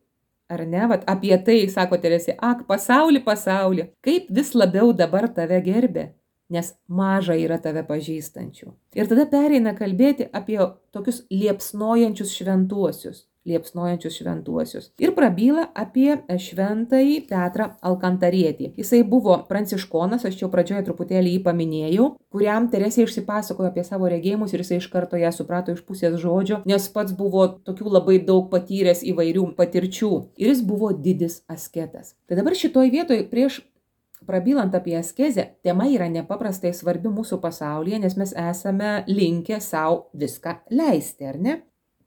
ar ne, va, apie tai, sako Teresė, ak, pasaulį, pasaulį, kaip vis labiau dabar tave gerbė. Nes maža yra tave pažįstančių. Ir tada pereina kalbėti apie tokius liepsnojančius šventuosius, liepsnojančius šventuosius. Ir prabyla apie šventąjį Petrą Alkantarietį. Jisai buvo pranciškonas, aš čia pradžioje truputėlį jį paminėjau, kuriam Teresė išsipasakojo apie savo regėjimus ir jisai iš karto ją suprato iš pusės žodžio, nes pats buvo tokių labai daug patyręs įvairių patirčių. Ir jis buvo didis asketas. Tai dabar šitoj vietoj prieš prabylant apie askezę, tema yra nepaprastai svarbi mūsų pasaulyje, nes mes esame linkę savo viską leisti, ar ne?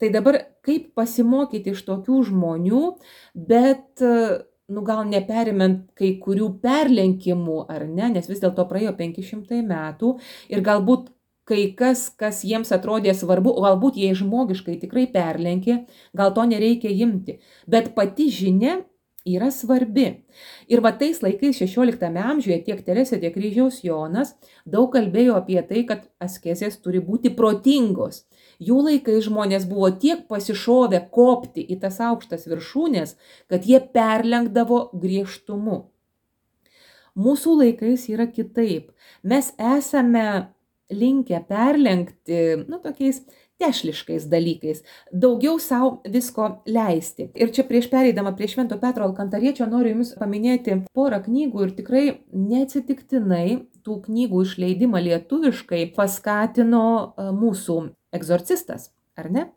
Tai dabar kaip pasimokyti iš tokių žmonių, bet, nu gal neperimant kai kurių perlenkimų, ar ne, nes vis dėlto praėjo penki šimtai metų ir galbūt kai kas, kas jiems atrodė svarbu, o galbūt jie žmogiškai tikrai perlenkė, gal to nereikia imti. Bet pati žinia yra svarbi. Ir va tais laikais šešioliktame amžiuje tiek Teresė, tiek Kryžiaus Jonas daug kalbėjo apie tai, kad askezės turi būti protingos. Jų laikais žmonės buvo tiek pasišovę kopti į tas aukštas viršūnės, kad jie perlenkdavo griežtumu. Mūsų laikais yra kitaip. Mes esame linkę perlenkti, nu, tokiais tešliškais dalykais, daugiau savo visko leisti. Ir čia prieš pereidama prie Švento Petro Alkantariečio noriu Jums paminėti porą knygų ir tikrai neatsitiktinai tų knygų išleidimą lietuviškai paskatino mūsų egzorcistas, ar ne?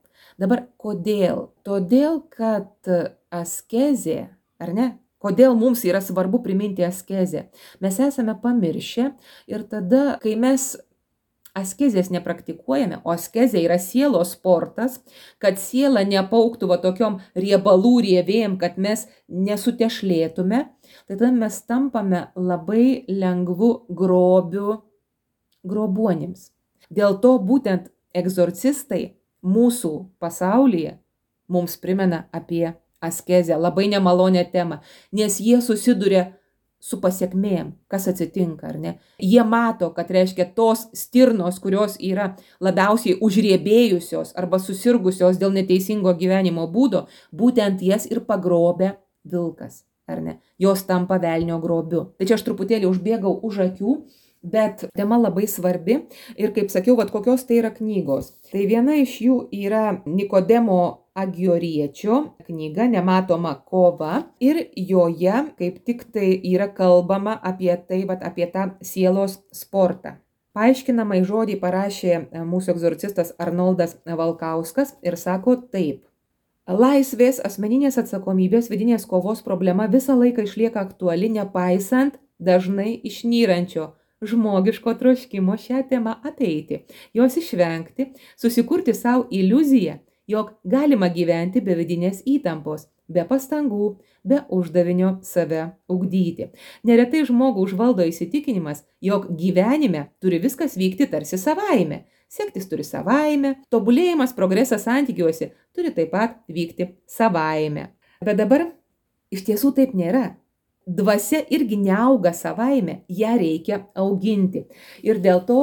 Dabar kodėl? Todėl, kad askezė, ar ne? Kodėl mums yra svarbu priminti askezę? Mes esame pamiršę ir tada, kai mes askezės nepraktikuojame, o askezė yra sielos sportas, kad siela nepauktų va tokiom riebalų rievėjim, kad mes nesutešlėtume, tai tada mes tampame labai lengvu grobiu grobuonims. Dėl to būtent egzorcistai mūsų pasaulyje mums primena apie askezę, labai nemalonę temą, nes jie susiduria su pasiekmėm, kas atsitinka, ar ne? Jie mato, kad reiškia tos stirnos, kurios yra labiausiai užriebėjusios arba susirgusios dėl neteisingo gyvenimo būdo, būtent jas ir pagrobia vilkas, ar ne? Jos tampa velnio grobiu. Tai čia aš truputėlį užbėgau už akių, bet tema labai svarbi ir, kaip sakiau, vat kokios tai yra knygos. Tai viena iš jų yra Nikodemo Agioriečio knyga Nematoma kova ir joje kaip tik tai yra kalbama apie tai, vat, apie tą sielos sportą. Paaiškinamai žodį parašė mūsų egzorcistas Arnoldas Valkauskas ir sako taip. Laisvės, asmeninės atsakomybės, vidinės kovos problema visą laiką išlieka aktuali, nepaisant dažnai išnyrančio žmogiško troškimo šią temą apeiti, jos išvengti, susikurti savo iliuziją, jog galima gyventi be vidinės įtampos, be pastangų, be uždavinio save ugdyti. Neretai žmogų užvaldo įsitikinimas, jog gyvenime turi viskas vykti tarsi savaime. Sektis turi savaime, tobulėjimas, progresas santykiuose turi taip pat vykti savaime. Bet dabar iš tiesų taip nėra. Dvasia irgi neauga savaime, ją reikia auginti. Ir dėl to,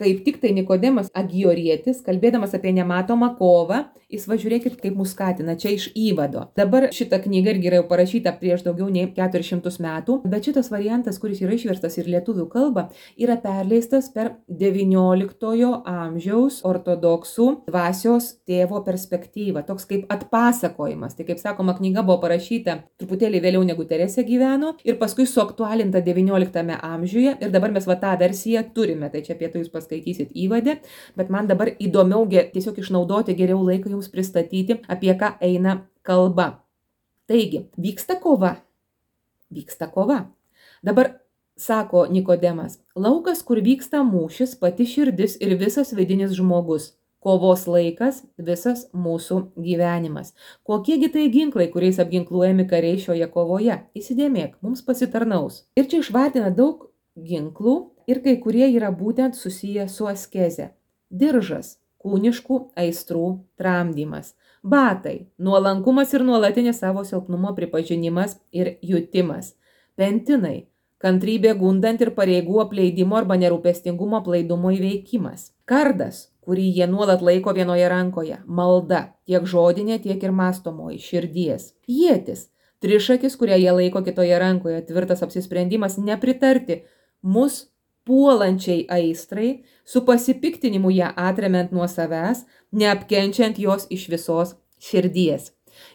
kaip tik tai Nikodemas Agiorietis, kalbėdamas apie nematomą kovą, jis va žiūrėkit, kaip mus skatina, čia iš įvado. Dabar šita knyga irgi yra jau parašyta prieš daugiau nei keturis šimtus metų, bet šitas variantas, kuris yra išverstas ir lietuvių kalba, yra perleistas per devynioliktojo amžiaus ortodoksų dvasios tėvo perspektyvą, toks kaip atpasakojimas. Tai kaip sakoma, knyga buvo parašyta truputėlį vėliau negu Teresė gyveno ir paskui suaktualinta devynioliktame amžiuje ir dabar mes va tą versiją turime, tai čia apie tai jūs paskaitysit įvade, bet man dabar įdomiau tiesiog išnaudoti geriau laiką jums pristatyti, apie ką eina kalba. Taigi, vyksta kova. Vyksta kova. Dabar sako Nikodemas, laukas, kur vyksta mūšis, pati širdis ir visas vidinis žmogus. Kovos laikas, visas mūsų gyvenimas. Kokiegi tai ginklai, kuriais apginkluojami kariai šioje kovoje? Įsidėmėk, mums pasitarnaus. Ir čia išvardina daug ginklų ir kai kurie yra būtent susiję su askeze. Diržas, kūniškų aistrų tramdymas. Batai, nuolankumas ir nuolatinis savo silpnumo pripažinimas ir jutimas. Pentinai, kantrybė gundant ir pareigų apleidimo arba nerūpestingumo aplaidumo įveikimas. Kardas, kurį jie nuolat laiko vienoje rankoje. Malda, tiek žodinė, tiek ir mąstomoji, širdies. Ietis, trišakis, kurią jie laiko kitoje rankoje. Tvirtas apsisprendimas nepritarti mus puolančiai aistrai, su pasipiktinimu ją atremiant nuo savęs, neapkenčiant jos iš visos širdies.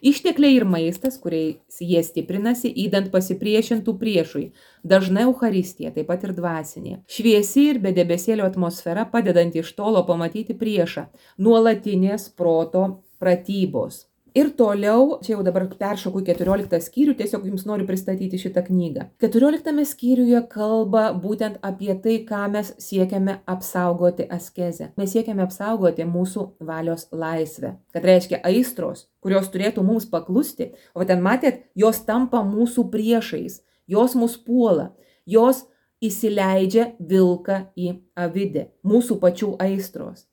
Ištekliai ir maistas, kuriais jie stiprinasi, įdant pasipriešintų priešui. Dažna Eucharistija, taip pat ir dvasinė. Šviesi ir be debesėlio atmosfera, padedanti iš tolo pamatyti priešą. Nuolatinės proto pratybos. Ir toliau, čia jau dabar peršoku į keturioliktą skyrių, tiesiog jums noriu pristatyti šitą knygą. keturioliktame skyriuje kalba būtent apie tai, ką mes siekiame apsaugoti askezę. Mes siekiame apsaugoti mūsų valios laisvę. Kad reiškia aistros, kurios turėtų mums paklusti, o ten matėt, jos tampa mūsų priešais, jos mus puola, jos įsileidžia vilką į avidę, mūsų pačių aistros.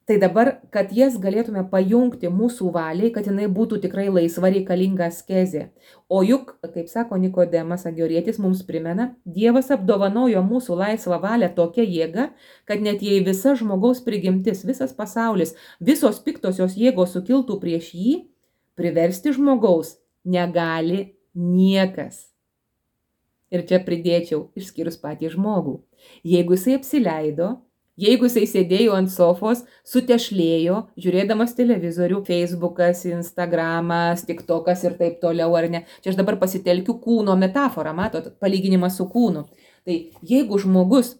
Tai dabar, kad jas galėtume pajungti mūsų valiai, kad jinai būtų tikrai laisva reikalinga askezė. O juk, kaip sako Nikodemas Agiorietis, mums primena, Dievas apdovanojo mūsų laisvą valią tokia jėga, kad net jei visa žmogaus prigimtis, visas pasaulis, visos piktosios jėgos sukiltų prieš jį, priversti žmogaus negali niekas. Ir čia pridėčiau, išskyrus patį žmogų. Jeigu jisai apsileido, jeigu jisai sėdėjo ant sofos, sutešlėjo, žiūrėdamas televizorių, Facebookas, Instagramas, TikTokas ir taip toliau, ar ne. Čia aš dabar pasitelkiu kūno metaforą, matot, palyginimas su kūnu. Tai jeigu žmogus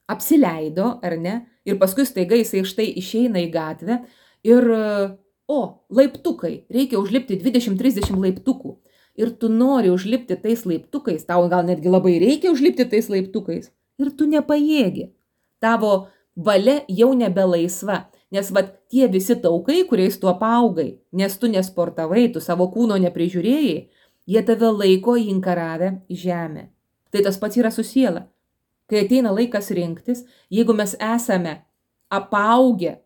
apsileido, ar ne, ir paskui staiga jisai štai išeina į gatvę ir, o, laiptukai, reikia užlipti dvidešimt trisdešimt laiptukų. Ir tu nori užlipti tais laiptukais, tau gal netgi labai reikia užlipti tais laiptukais, ir tu nepajėgi. Tavo valia jau nebelaisva, nes vat tie visi taukai, kuriais tu apaugai, nes tu nesportavai, tu savo kūno neprižiūrėjai, jie tave laiko įinkaravę į žemę. Tai tas pats yra su siela. Kai ateina laikas rinktis, jeigu mes esame apaugę,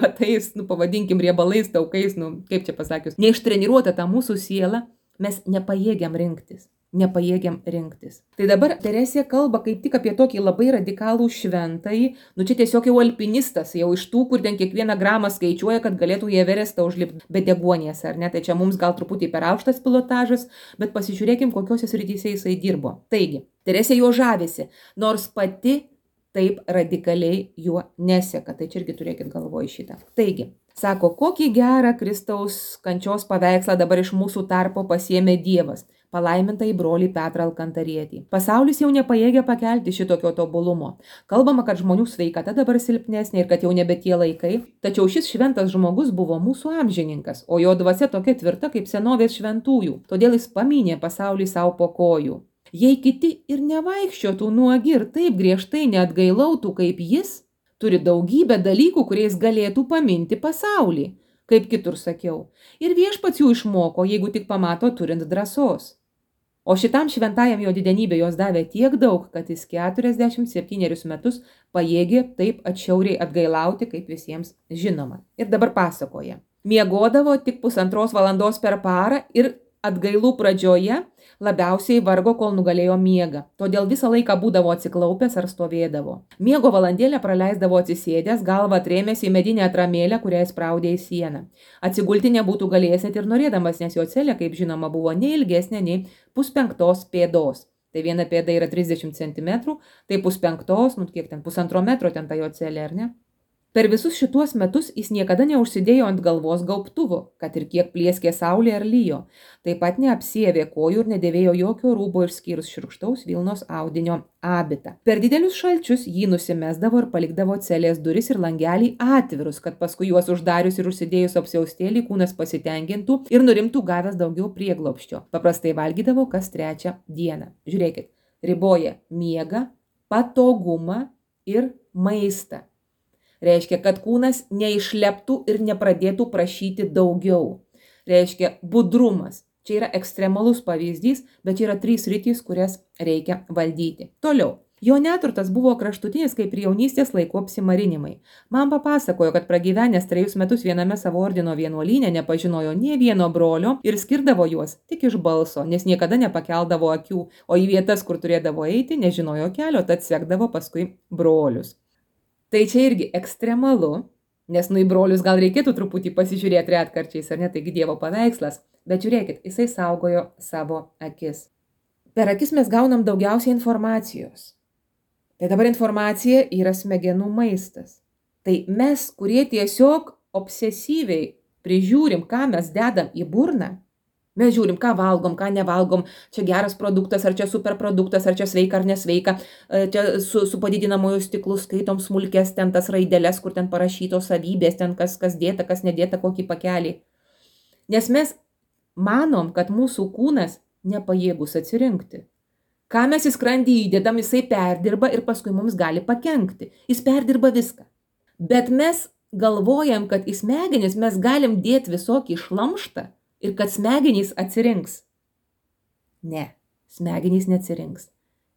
va tais, nu pavadinkim, riebalais, taukais, nu kaip čia pasakius, neištreniruota ta mūsų siela, mes nepajėgiam rinktis. nepajėgiam rinktis. Tai dabar Teresė kalba kaip tik apie tokį labai radikalų šventąjį, nu čia tiesiog jau alpinistas, jau iš tų, kur ten kiekvieną gramą skaičiuoja, kad galėtų į Everestą užlipti be deguonies, ar ne? Tai čia mums gal truputį per aukštas pilotažas, bet pasižiūrėkim, kokiuose srityse jisai dirbo. Taigi, Teresė juo žavisi, nors pati taip radikaliai juo neseka. Tai čia irgi turėkit galvoj šitą. Taigi, sako, kokį gerą Kristaus kančios paveikslą dabar iš mūsų tarpo pasiėmė Dievas. Palaiminta į brolį Petrą Alkantarietį. Pasaulis jau nepajėgia pakelti šitokio tobulumo. Kalbama, kad žmonių sveikata dabar silpnesnė ir kad jau nebe tie laikai. Tačiau šis šventas žmogus buvo mūsų amžininkas, o jo dvasia tokia tvirta kaip senovės šventųjų. Todėl jis pamynė pasaulį savo po kojų. Jei kiti ir nevaikščiotų nuogi ir taip griežtai neatgailautų kaip jis, turi daugybę dalykų, kuriais galėtų paminti pasaulį, kaip kitur sakiau. Ir viešpats jų išmoko, jeigu tik pamato turint drąsos. O šitam šventajam jo didenybė jos davė tiek daug, kad jis keturiasdešimt septynerius metus pajėgė taip atšiauriai atgailauti, kaip visiems žinoma. Ir dabar pasakoja. Miegodavo tik pusantros valandos per parą ir atgailų pradžioje labiausiai vargo, kol nugalėjo miegą. Todėl visą laiką būdavo atsiklaupęs ar stovėdavo. Miego valandėlę praleisdavo atsisėdęs, galvą atrėmęs į medinę atramėlę, kurią spraudė į sieną. Atsigulti nebūtų galėjęs net ir norėdamas, nes jo celė, kaip žinoma, buvo nei ilgesnė, nei puspenktos pėdos. Tai viena pėda yra trisdešimt centimetrų, tai puspenktos, nu kiek ten, pusantro metro ten ta jo celė, ar ne? Per visus šituos metus jis niekada neužsidėjo ant galvos gaubtuvo, kad ir kiek plieskė saulė ar lyjo. Taip pat neapsiavė kojų ir nedėvėjo jokio rūbo išskyrus šiurkštaus vilnos audinio abitą. Per didelius šalčius jį nusimesdavo ir palikdavo celės duris ir langelį atvirus, kad paskui juos uždarius ir užsidėjus apsiaustėlį kūnas pasitenkintų ir nurimtų gavęs daugiau prieglobsčio. Paprastai valgydavo kas trečią dieną. Žiūrėkit, riboja miegą, patogumą ir maistą. Reiškia, kad kūnas neišleptų ir nepradėtų prašyti daugiau. Reiškia, budrumas. Čia yra ekstremalus pavyzdys, bet čia yra trys sritys, kurias reikia valdyti. Toliau. Jo neturtas buvo kraštutinis kaip ir jaunystės laikų apsimarinimai. Man papasakojo, kad pragyvenęs trejus metus viename savo ordino vienuolyne nepažinojo nė vieno brolio ir skirdavo juos tik iš balso, nes niekada nepakeldavo akių, o į vietas, kur turėdavo eiti, nežinojo kelio, tad sekdavo paskui brolius. Tai čia irgi ekstremalu, nes nu į brolius gal reikėtų truputį pasižiūrėti retkarčiais, ar ne, taigi Dievo paveikslas, bet žiūrėkit, jisai saugojo savo akis. Per akis mes gaunam daugiausiai informacijos. Tai dabar informacija yra smegenų maistas. Tai mes, kurie tiesiog obsesyviai prižiūrim, ką mes dedam į burną, mes žiūrim, ką valgom, ką nevalgom, čia geras produktas, ar čia superproduktas, ar čia sveika ar nesveika, čia su, su padidinamojo stiklu skaitom smulkės ten tas raideles, kur ten parašytos savybės, ten kas, kas dėta, kas nedėta, kokį pakelį. Nes mes manom, kad mūsų kūnas nepajėgus atsirinkti. Ką mes į skrandį įdedam, jisai perdirba ir paskui mums gali pakenkti. Jis perdirba viską. Bet mes galvojam, kad į smegenis mes galim dėti visokį šlamštą, ir kad smegenys atsirinks. Ne, smegenys neatsirinks.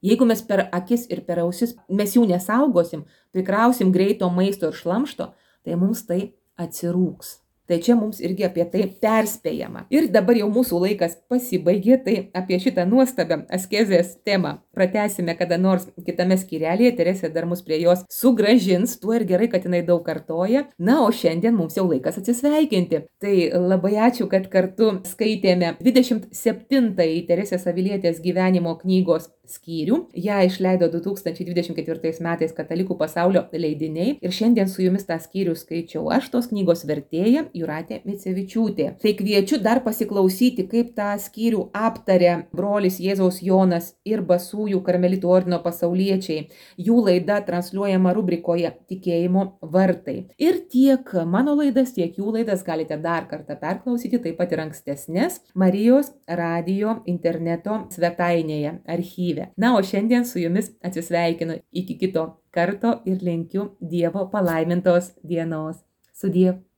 Jeigu mes per akis ir per ausis, mes jų nesaugosim, prikrausim greito maisto ir šlamšto, tai mums tai atsirūks. Tai čia mums irgi apie tai perspėjama. Ir dabar jau mūsų laikas pasibaigė, tai apie šitą nuostabią askezės temą pratęsime kada nors kitame skyrelėje. Teresė dar mus prie jos sugrąžins, tuo ir gerai, kad jinai daug kartoja. Na, o šiandien mums jau laikas atsisveikinti. Tai labai ačiū, kad kartu skaitėme dvidešimt septintąjį Teresės Avilietės gyvenimo knygos skyrių. Ja išleido du tūkstančiai dvidešimt ketvirtais metais Katalikų pasaulio leidiniai. Ir šiandien su jumis tą skyrių skaičiau aš, tos knygos vertėja Jūratė Micevičiūtė. Tai kviečiu dar pasiklausyti, kaip tą skyrių aptarė brolis Jėzaus Jonas ir Basųjų karmelitų ordino pasauliečiai. Jų laida transliuojama rubrikoje Tikėjimo vartai. Ir tiek mano laidas, tiek jų laidas galite dar kartą perklausyti, taip pat ir ankstesnės Marijos radijo interneto svetainėje, archyve. Na, o šiandien su jumis atsisveikinu iki kito karto ir linkiu Dievo palaimintos dienos. Sudie.